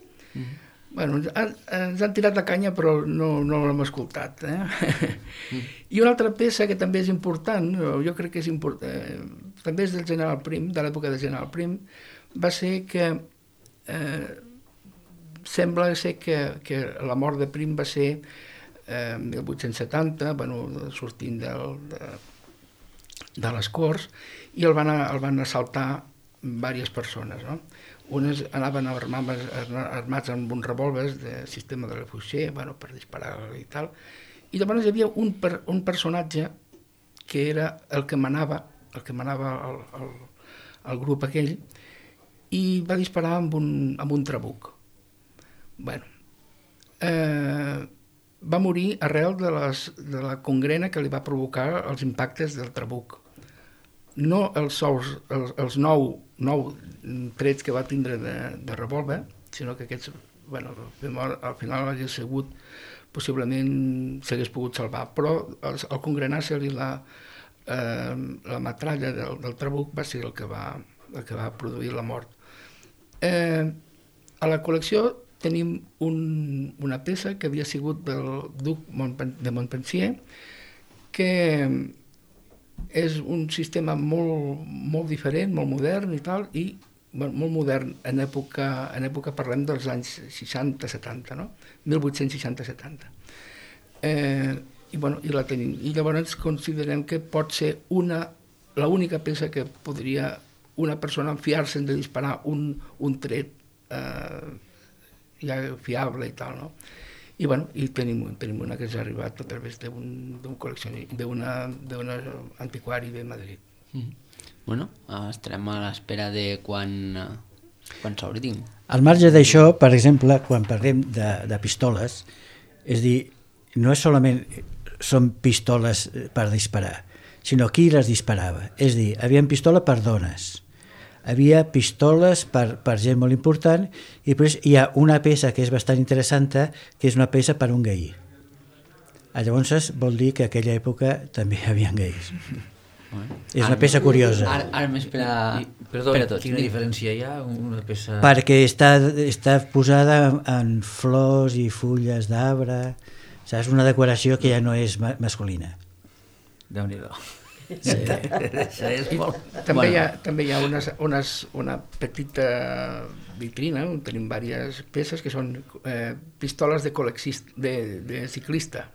Bueno, ens han tirat la canya, però no l'hem escoltat. I una altra peça que també és important, jo crec que és important, també és del General Prim, de l'època de General Prim, va ser que sembla ser que la mort de Prim va ser 1870, sortint de les Corts, i el van assaltar diverses persones, no? Unes anaven armats amb uns revòlvers de sistema de refugier, per disparar i tal, i llavors hi havia un personatge que era el que manava el grup aquell, i va disparar amb un trabuc. Va morir arrel de la congrena que li va provocar els impactes del trabuc. No els 9 trets que va tindre de revòlver, sinó que aquests, al final hauria sigut, possiblement s'hagués pogut salvar, però al congrenar-se-li la metralla del trabuc va ser el que va produir la mort. A la col·lecció tenim una peça que havia sigut del duc de Montpensier, que és un sistema molt diferent, molt modern i tal, i molt modern en època parlem dels anys 60-70, no? 1860-70. I la tenim. I llavors considerem que pot ser l'única peça que podria una persona fiar-se'n de disparar un tret ja fiable i tal, no? I tenim una que ens ha arribat a través d'un col·leccionista, d'un antiquari de Madrid. Estarem a l'espera de quan s'obrin. Al marge d'això, per exemple, quan parlem de pistoles, és dir, no és solament són pistoles per disparar, sinó qui les disparava. És dir, hi havia pistola per dones, havia pistoles per gent molt important, i després hi ha una peça que és bastant interessant, que és una peça per un gai. Llavors vol dir que a aquella època també hi havia gais. És una peça curiosa. Ara més per a tots. Quina diferència hi ha? Una peça... Perquè està posada en flors i fulles d'arbre. És una decoració que ja no és masculina. Déu-n'hi-do. Sí. També hi ha una petita vitrina on tenim diverses peces que són pistoles de ciclista.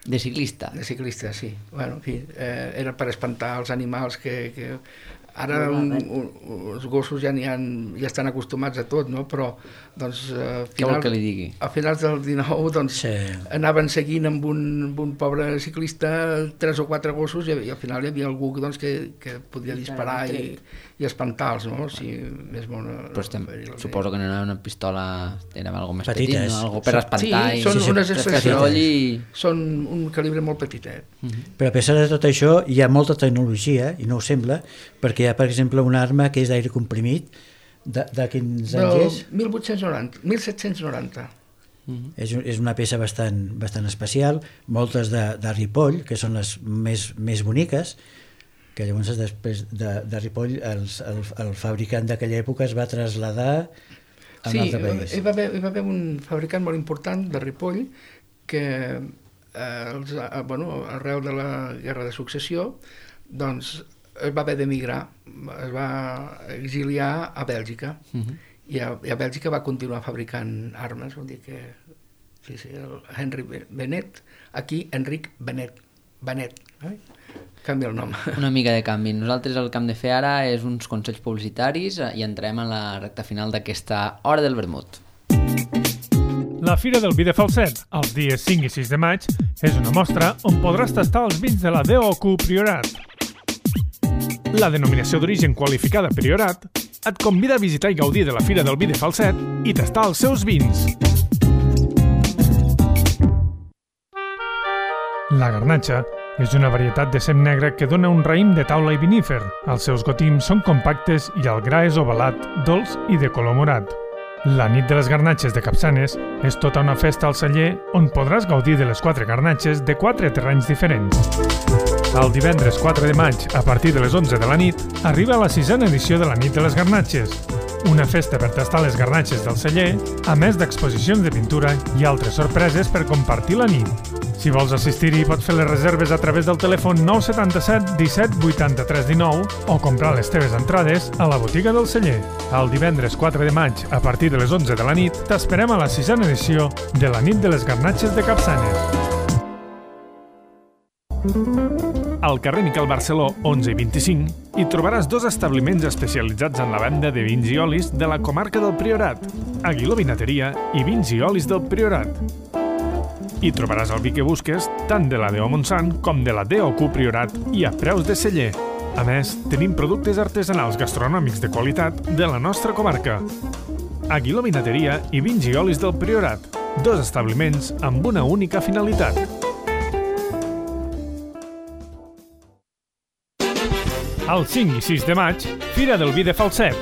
De ciclista? De ciclista, sí. En fi, era per espantar els animals que ara els gossos ja estan acostumats a tot, no? Però què vol que li digui? A finals del 19 anaven seguint amb un pobre ciclista 3 o 4 gossos i al final hi havia algú que podia disparar i espantar-los, no? Suposo que no era una pistola, era algo més petit, no? Algo per espantar. Sí, són unes expressions, són un calibre molt petitet. Però a pesar de tot això hi ha molta tecnologia, i no ho sembla, perquè hi ha, per exemple, una arma que és d'aire comprimit, de quins anys és? 1790. És una peça bastant especial, moltes de Ripoll, que són les més boniques, que llavors després de Ripoll el fabricant d'aquella època es va traslladar a un altre país. Sí, hi va haver un fabricant molt important de Ripoll que arrel de la Guerra de Successió doncs es va haver d'emigrar, es va exiliar a Bèlgica i a Bèlgica va continuar fabricant armes, vol dir que el Henry Benet, aquí Enric Benet, canvia el nom. Una mica de canvi. Nosaltres el que hem de fer ara és uns consells publicitaris i entrem a la recta final d'aquesta Hora del Vermut. La Fira del Vi de Falset, els dies 5 i 6 de maig, és una mostra on podràs tastar els vins de la DOQ Priorat. La denominació d'origen qualificada Priorat et convida a visitar i gaudir de la Fira del Vi de Falset i tastar els seus vins. La garnatxa és una varietat de cep negre que dona un raïm de taula i vinífer. Els seus gotims són compactes i el gra és ovalat, dolç i de color morat. La nit de les garnatxes de Capçanes és tota una festa al celler on podràs gaudir de les 4 garnatxes de 4 terrenys diferents. El divendres 4 de maig, a partir de les 11 de la nit, arriba la 6a edició de la nit de les garnatxes. una festa per tastar les garnatxes del celler, a més d'exposicions de pintura i altres sorpreses per compartir la nit. Si vols assistir-hi, pots fer les reserves a través del telèfon 977 17 83 19 o comprar les teves entrades a la botiga del celler. El divendres 4 de maig, a partir de les 11 de la nit, t'esperem a la 6a edició de la nit de les garnatxes de Capçanes. Al carrer Miquel Barceló, 11 i 25, hi trobaràs 2 establiments especialitzats en la venda de vins i olis de la comarca del Priorat, Aguiló Vinateria i Vins i Olis del Priorat. Hi trobaràs el vi que busques, tant de la DO Montsant com de la DOQ Priorat i a preus de celler. A més, tenim productes artesanals gastronòmics de qualitat de la nostra comarca. Aguiló Vinateria i Vins i Olis del Priorat, 2 establiments amb una única finalitat. El 5 i 6 de maig, Fira del Vi de Falset.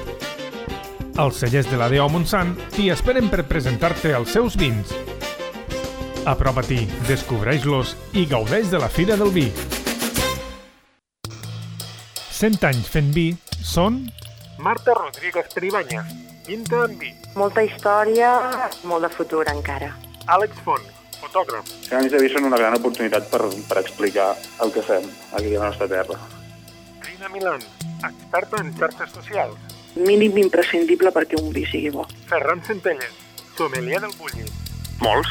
Els cellers de la DO Montsant t'hi esperen per presentar-te els seus vins. Apropa-t'hi, descobreix-los i gaudeix de la Fira del Vi. 100 anys fent vi són... Marta Rodríguez Peribanya, pinta en vi. Molta història, molt de futur encara. Àlex Font, fotògraf. Els anys de vi són una gran oportunitat per explicar el que fem aquí a la nostra terra. Rina Milan, experta en xarxes socials. Mínim imprescindible perquè un vi sigui bo. Ferran Centelles, sommelier del Bulli. Molts.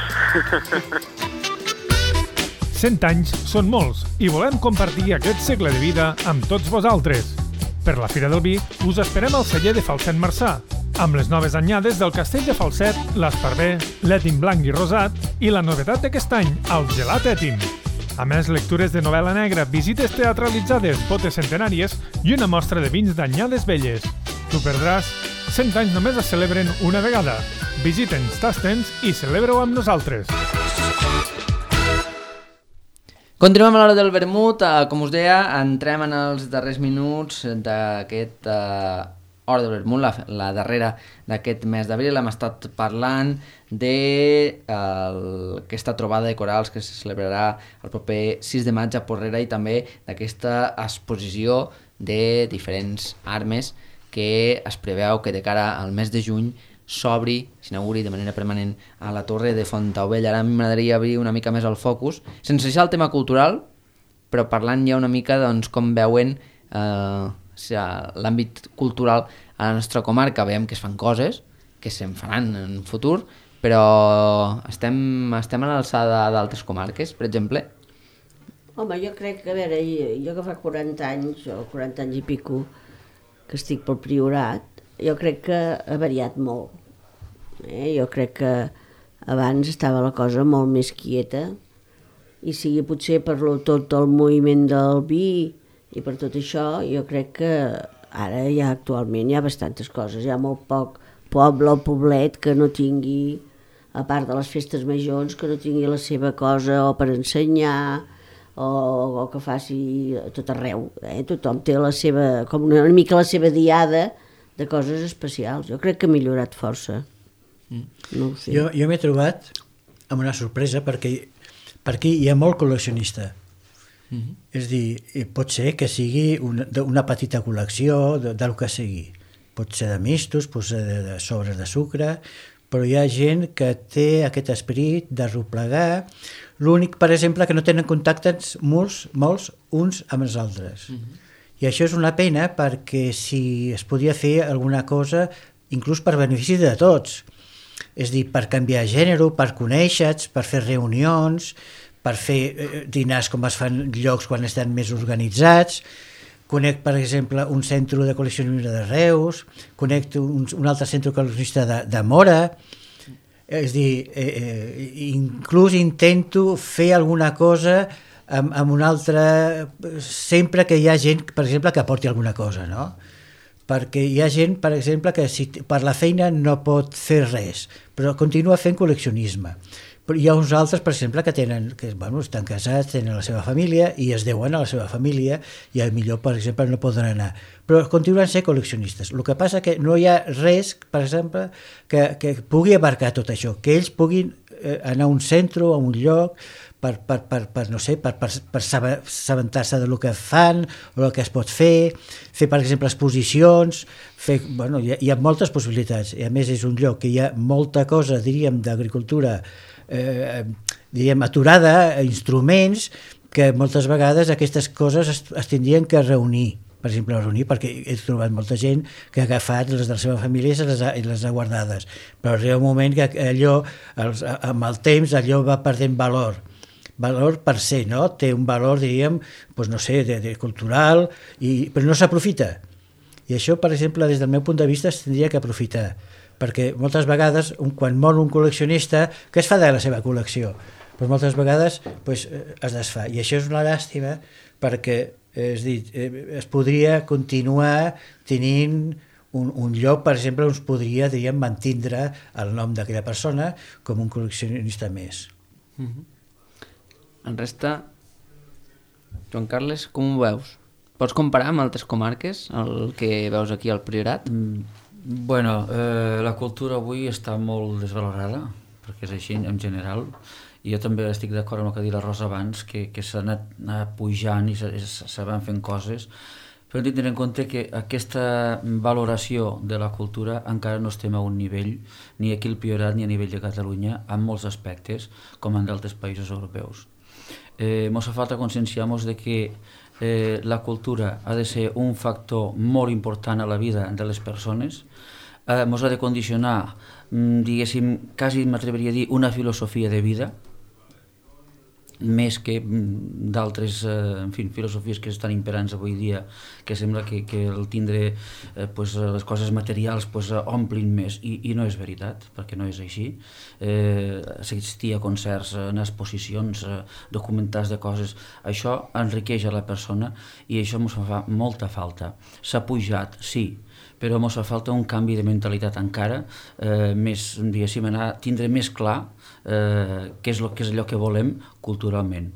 100 anys són molts i volem compartir aquest segle de vida amb tots vosaltres. Per la Fira del Vi us esperem al celler de Falset Marçà, amb les noves anyades del Castell de Falset, l'Esparver, l'Ètim blanc i rosat i la novetat d'aquest any, el gelat Ètim. A més, lectures de novel·la negra, visites teatralitzades, botes centenàries i una mostra de vins d'anyades velles. T'ho perdràs? 100 anys només es celebren una vegada. Visita'ns, tasta'ns i celebra-ho amb nosaltres. Continuem a l'hora del vermut. Com us deia, entrem en els darrers minuts d'aquest hora del vermut, la darrera d'aquest mes d'abril. Hem estat parlant d'aquesta trobada de corals que se celebrarà el proper 6 de maig a Porrera i també d'aquesta exposició de diferents armes que es preveu que de cara al mes de juny s'obri, s'inauguri de manera permanent a la Torre de Fontaubella. Ara m'agradaria obrir una mica més el focus, sense deixar el tema cultural, però parlant ja una mica doncs, com veuen l'àmbit cultural a la nostra comarca. Veiem que es fan coses, que se'n faran en futur, però estem a l'alçada d'altres comarques, per exemple? Home, jo crec que, a veure, jo que fa 40 anys, o 40 anys i pico, que estic pel Priorat, jo crec que ha variat molt. Jo crec que abans estava la cosa molt més quieta i sigui potser per tot el moviment del vi i per tot això, jo crec que ara ja actualment hi ha bastantes coses. Hi ha molt poc poble o poblet que no tingui, a part de les festes majors, que no tingui la seva cosa o per ensenyar o que faci a tot arreu. Tothom té la seva, com una mica la seva diada de coses especials. Jo crec que ha millorat força. No ho sé. Jo m'he trobat amb una sorpresa perquè aquí hi ha molt col·leccionista. És a dir, pot ser que sigui una petita col·lecció del que sigui. Pot ser de mistos, pot ser de sobres de sucre, però hi ha gent que té aquest esperit de replegar. L'únic, per exemple, que no tenen contactes molts uns amb els altres. I això és una pena perquè si es podia fer alguna cosa, inclús per benefici de tots. És a dir, per canviar gènere, per conèixer-te, per fer reunions, per fer dinars com es fan llocs quan estan més organitzats. Conec, per exemple, un centre de col·leccionisme de Reus, conec un altre centre col·leccionista de Mora. És a dir, inclús intento fer alguna cosa amb un altre, sempre que hi ha gent, per exemple, que aporti alguna cosa, no? Perquè hi ha gent, per exemple, que per la feina no pot fer res, però continua fent col·leccionisme. Però hi ha uns altres, per exemple, que estan casats, tenen la seva família i es deuen a la seva família i millor, per exemple, no poden anar. Però continuen sent col·leccionistes. El que passa que no hi ha res, per exemple, que pugui abarcar tot això, que ells puguin anar a un centre o a un lloc per assabentar-se del que fan o el que es pot fer, per exemple, exposicions, hi ha moltes possibilitats, i a més és un lloc que hi ha molta cosa, diríem, d'agricultura aturada, instruments, que moltes vegades aquestes coses es tindrien que reunir, per exemple, perquè he trobat molta gent que ha agafat les de la seva família i les ha guardades, però arriba un moment que allò, amb el temps, allò va perdent valor per ser, no? Té un valor, diríem, de cultural, però no s'aprofita. I això, per exemple, des del meu punt de vista, es tindria que aprofitar, perquè moltes vegades, quan mor un col·leccionista, què es fa de la seva col·lecció? Doncs moltes vegades es desfà, i això és una llàstima, perquè es podria continuar tenint un lloc, per exemple, on es podria, diríem, mantindre el nom d'aquella persona com un col·leccionista més. En resta, Joan Carles, com ho veus? Pots comparar amb altres comarques el que veus aquí al Priorat? Bueno, la cultura avui està molt desvalorada, perquè és així en general. I jo també estic d'acord amb el que ha dit la Rosa abans, que s'ha anat pujant i se van fent coses, però hem de tenir en compte que aquesta valoració de la cultura encara no estem a un nivell, ni aquí al Priorat ni a nivell de Catalunya, en molts aspectes, com en d'altres països europeus. Ens fa falta conscienciar-nos de que la cultura ha de ser un factor molt important a la vida de les persones, ens ha de condicionar, diguéssim, quasi m'atreviria a dir, una filosofia de vida, més que d'altres filosofies que estan imperants avui dia, que sembla que el tindre les coses materials omplin més, i no és veritat, perquè no és així. Assistir a concerts, anar a exposicions, documentals de coses, això enriqueix a la persona i això ens fa molta falta. S'ha pujat, sí, però ens fa falta un canvi de mentalitat encara, més, diguéssim, tindre més clar què és allò que volem culturalment.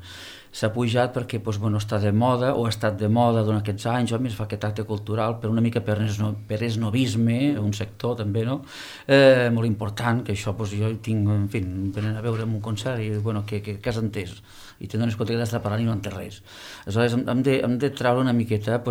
S'ha pujat perquè està de moda, o ha estat de moda durant aquests anys, o més fa aquest acte cultural, però una mica per esnovisme, un sector també, no? Molt important, que això jo tinc, en fi, venen a veure en un concert i, què has entès? I te dones compte que t'està parlant i no entès res. Aleshores, hem de treure una miqueta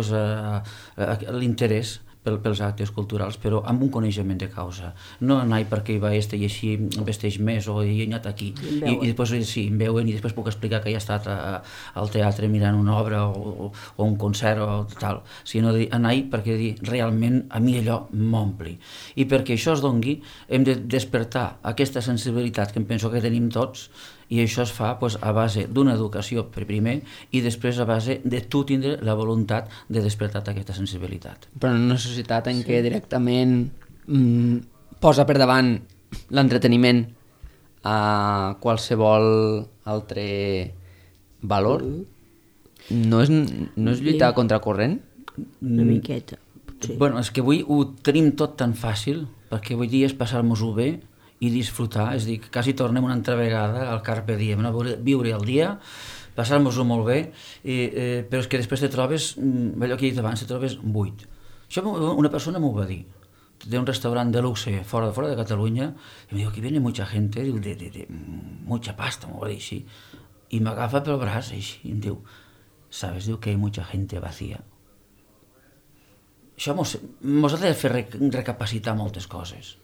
l'interès pels actes culturals, però amb un coneixement de causa. No anar perquè hi va i així vesteix més, o hi he anat aquí. I després sí, em veuen i després puc explicar que he estat al teatre mirant una obra o un concert o tal. Sinó anar perquè realment a mi allò m'ompli. I perquè això es dongui, hem de despertar aquesta sensibilitat que em penso que tenim tots, i això es fa a base d'una educació primer i després a base de tu tindre la voluntat de despertar aquesta sensibilitat. Però en una societat en què directament posa per davant l'entreteniment a qualsevol altre valor, no és lluitar contra corrent? Una miqueta, potser. És que avui ho tenim tot tan fàcil, perquè avui dia és passar-nos-ho bé i disfrutar, és a dir, quasi tornem una altra vegada al carpe diem, viure el dia, passar-nos-ho molt bé, però és que després te trobes, allò que he dit abans, te trobes buit. Això una persona m'ho va dir, de un restaurant de luxe fora de Catalunya, i em diu, aquí viene mucha gente, de mucha pasta, m'ho va dir així, i m'agafa pel braç així, i em diu, ¿sabes? Diu que hay mucha gente vacía. Això mos ha de fer recapacitar moltes coses.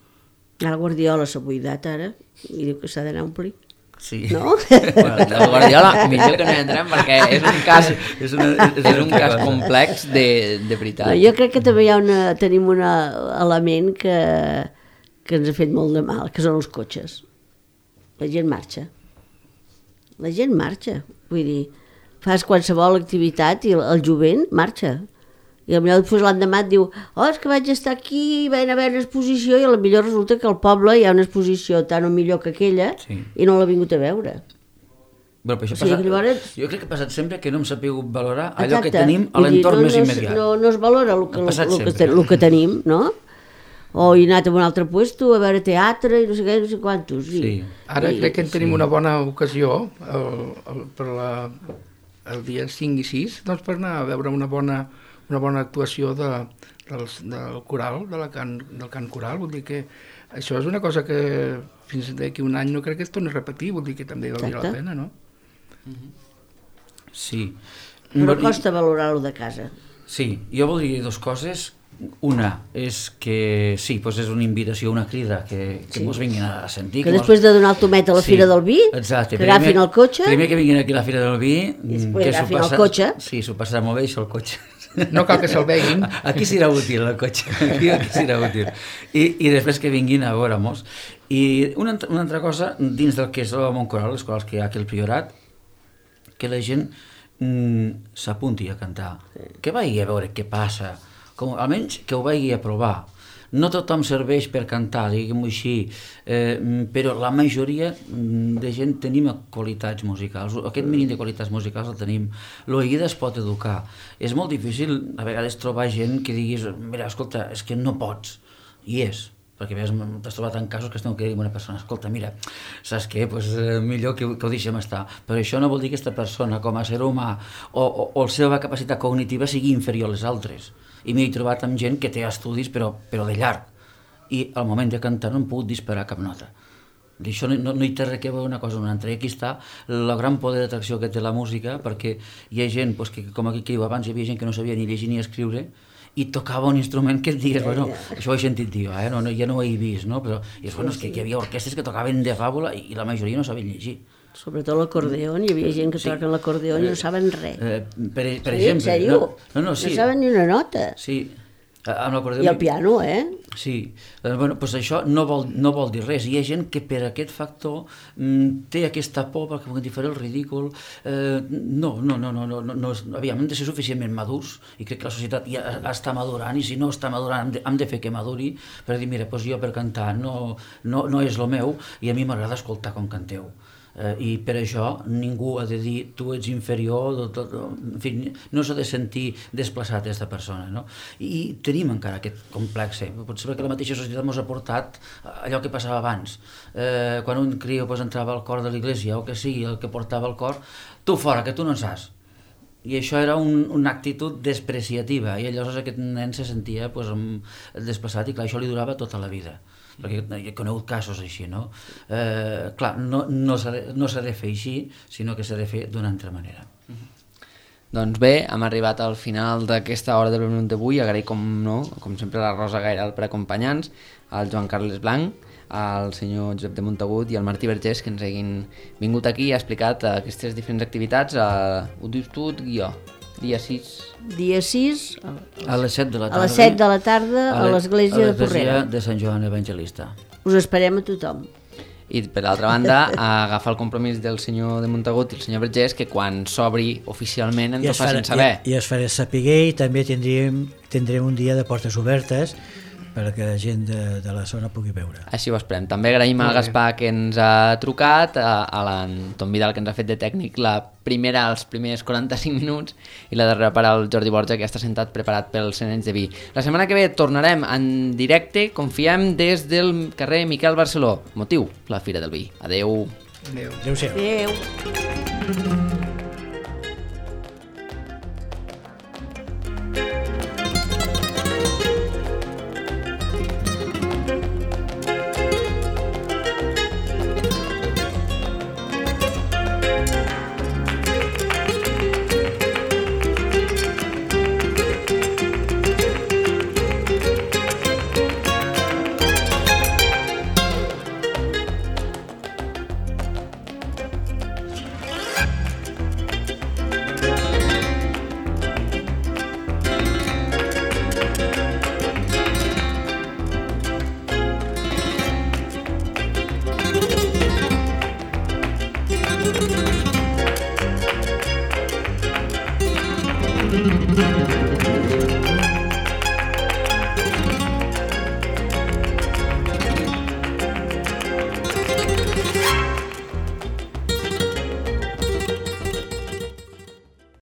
El Guardiola s'ha buidat ara i diu que s'ha d'anar a omplir. Sí. No? El Guardiola, millor que no hi entrem perquè és un cas complex de veritat. No, jo crec que també tenim un element que ens ha fet molt de mal, que són els cotxes. La gent marxa. La gent marxa. Vull dir, fas qualsevol activitat i el jovent marxa. I potser després l'endemà et diu és que vaig estar aquí, va haver una exposició i potser resulta que al poble hi ha una exposició tan o millor que aquella i no l'ha vingut a veure. Però això jo crec que ha passat sempre que no hem sabut valorar allò que tenim a l'entorn més immediat. No es valora el que tenim, no? O he anat a un altre puesto a veure teatre i no sé què, no sé quantos. Ara crec que tenim una bona ocasió per el dia 5 i 6 per anar a veure una bona actuació del coral, del cant coral, vol dir que Això és una cosa que fins d'aquí un any no crec que es torni a repetir, vol dir que també valdria la pena, no? Sí. Però costa valorar-lo de casa. Sí, jo voldria dir dues coses. Una és que sí, doncs és una invitació, una crida que mos vinguin a sentir. Que després de donar el tomet a la Fira del Vi, exacte, que agafin el cotxe... Primer que vinguin aquí a la Fira del Vi... I després agafin el cotxe. Sí, s'ho passarà molt bé, això, el cotxe. No cal que se'l veguin. Aquí serà útil, el cotxe. Aquí serà útil. I després que vinguin a veure-mos. I una altra cosa, dins del que és el món coral, les corals que hi ha aquí al Priorat, que la gent s'apunti a cantar, que vagi a veure què passa, almenys que ho vagi a provar. No tothom serveix per cantar, diguem-ho així, però la majoria de gent tenim qualitats musicals. Aquest mínim de qualitats musicals el tenim. L'oïda es pot educar. És molt difícil a vegades trobar gent que diguis, mira, escolta, és que no pots. I és. Perquè t'has trobat en casos que es tenen que dir a una persona, escolta, mira, saps què? Pues, millor que ho deixem estar. Però això no vol dir que aquesta persona, com a ser humà, o la seva capacitat cognitiva sigui inferior a les altres. I m'he trobat amb gent que té estudis, però de llarg. I al moment de cantar no hem pogut disparar cap nota. Això no hi té res que veure una cosa amb una altra. I aquí està el gran poder d'atracció que té la música, perquè hi ha gent, que com aquí que diu abans, hi havia gent que no sabia ni llegir ni escriure, i tocava un instrument que et digues, bueno, això ho he sentit dir, ja no ho he vist, no? Però és que hi havia orquestres que tocaven de fàbula i la majoria no sabien llegir. Sobretot l'acordeó, hi havia gent que toquen l'acordeó i no saben res. Per exemple... En sèrio? No, saben ni una nota. Sí. I el piano, Sí. Doncs això no vol dir res. Hi ha gent que per aquest factor té aquesta por perquè puguin dir el ridícul. No. Aviam, hem de ser suficientment madurs i crec que la societat ja està madurant i si no està madurant hem de fer que maduri per dir, mira, jo per cantar no és el meu i a mi m'agrada escoltar com canteu. I per això ningú ha de dir tu ets inferior, en fi, no s'ha de sentir desplaçat aquesta persona, no? I tenim encara aquest complex, potser perquè la mateixa societat ens ha portat allò que passava abans, quan un criu entrava al cor de l'església o que sigui el que portava el cor, tu fora, que tu no en saps. I això era una actitud despreciativa i llavors aquest nen se sentia desplaçat i clar, això li durava tota la vida. Perquè he conegut casos així, no? Clar, no s'ha de fer així, sinó que s'ha de fer d'una altra manera. Doncs bé, hem arribat al final d'aquesta hora del minut d'avui. Agraïm, com sempre, la Rosa Gairal per acompanyar-nos, al Joan Carles Blanc, al senyor Josep de Montagut i al Martí Vergés, que ens hagin vingut aquí i ha explicat aquestes diferents activitats. Ho dius tu, guió? Dia 6 a les 7 de la tarda. A les 7 de la tarda a l'església de Porrera. A l'església de Sant Joan Evangelista. Us esperem a tothom. I per l'altra banda, agafar el compromís del senyor de Montagut i el senyor Vergés que quan s'obri oficialment ens ho facin saber. I es farà saber i també tindrem un dia de portes obertes perquè la gent de la zona pugui veure. Així ho esperem. També agraïm al Gaspar que ens ha trucat, a l'Anton Vidal que ens ha fet de tècnic els primers 45 minuts i la darrera part al Jordi Borja que ja està sentat preparat pels Senents de Vi. La setmana que ve tornarem en directe, confiem, des del carrer Miquel Barceló. Motiu, la Fira del Vi. Adeu. Adéu-siau. Adéu. Thank you.